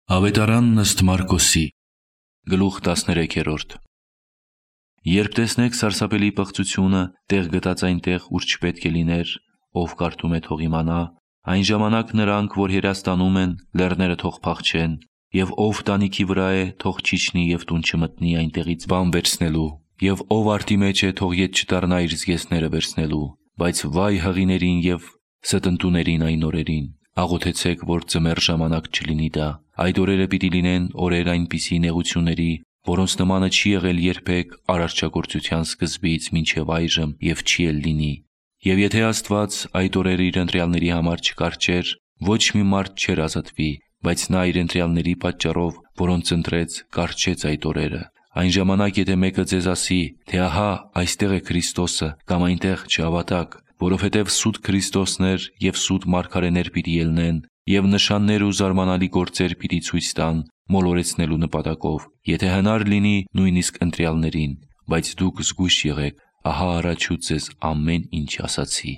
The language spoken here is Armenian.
Ավետարանն ըստ Մարկոսի, գլուխ 13։ Երբ տեսնեք սարսափելի պղծությունը տեղ գտած այնտեղ, ուր չպետք է լիներ, ով կարդում է թող իմանա, այն ժամանակ նրանք, որ հեռաստանում են, լեռները թող փախչեն, եւ ով տանիքի վրա է, թող չիջնի եւ տուն չմտնի այնտեղից բան վերցնելու, եւ ով արտի մեջ է, թող ետ չդառնա իր զգեստները վերցնելու, բայց վայ հղիներին եւ ստնտուներին այն օրերին, աղոթեցեք, որ ձմեռ ժամանակ չլինի դա։ Այդ օրերը պիտի լինեն օրեր այնպիսի նեղությունների, որոնց նմանը չի եղել երբեք արարչագործության սկզբից մինչև այժմ եւ չի էլ լինի։ Եվ եթե Աստված այդ օրերը իր ընտրյալների համար չկարճեր, ոչ մի մարդ չէր ազատվի, բայց նա իր ընտրյալների պատճառով, որոնց ընտրեց, կարճեց այդ օրերը։ Այն ժամանակ, եթե մեկը ձեզ ասի, թե ահա այստեղ է Քրիստոսը, կամ այնտեղ չհավատաք, որովհետև սուտ քրիստոսներ եւ սուտ մարգարեներ պիտի ելնեն, եւ նշաններ ու զարմանալի գործեր պիտի ցույց տան մոլորեցնելու նպատակով, եթե հնար լինի նույնիսկ ընտրյալներին, բայց դուք զգույշ եղեք, ահա առաջուց ձեզ ամեն ինչ ասացի։